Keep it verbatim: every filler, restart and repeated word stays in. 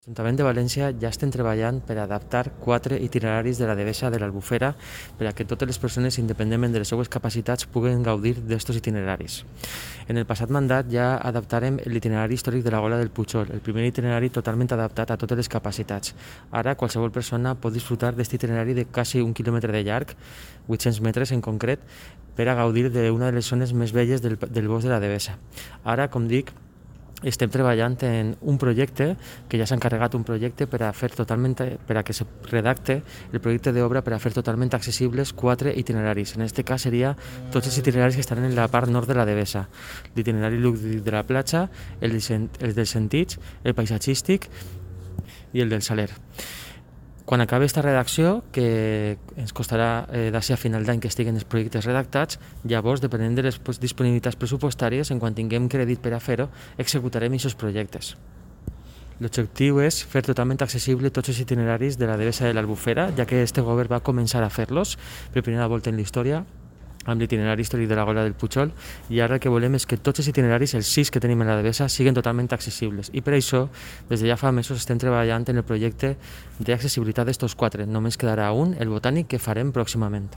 L'Ajuntament de València ja estem treballant per adaptar quatre itineraris de la Devesa de l'Albufera per a que totes les persones, independentment de les seues capacitats, puguen gaudir d'estos itineraris. En el passat mandat ja adaptarem l'itinerari històric de la Gola del Pujol, el primer itinerari totalment adaptat a totes les capacitats. Ara qualsevol persona pot disfrutar d'aquest itinerari de quasi un quilòmetre de llarg, vuit-cents metres en concret, per a gaudir d'una de les zones més belles del, del bosc de la Devesa. Ara, com dic, estem treballant en un projecte, que ja s'ha encarregat un projecte per a fer totalment, per a que se redacte el projecte d'obra per a fer totalment accessibles quatre itineraris. En aquest cas seria tots els itineraris que estan en la part nord de la Devesa. L'itinerari lúdic de la platja, el, el dels sentits, el paisatgístic i el del Saler. Quan acabi aquesta redacció, que ens costarà eh, d'ací a final d'any que estiguen els projectes redactats, llavors, depenent de les disponibilitats pressupostàries, en quan tinguem crèdit per a fer-ho, executarem aquests projectes. L'objectiu és fer totalment accessible tots els itineraris de la Devesa de l'Albufera, ja que este govern va començar a fer-los per primera volta en la història, amb l'itinerari històric de la Gola del Pujol, i ara el que volem és que tots els itineraris, els sis que tenim a la Devesa, siguin totalment accessibles. I per això, des de ja fa mesos estem treballant en el projecte d'accessibilitat d'estos quatre. Només quedarà un, el botànic, que farem pròximament.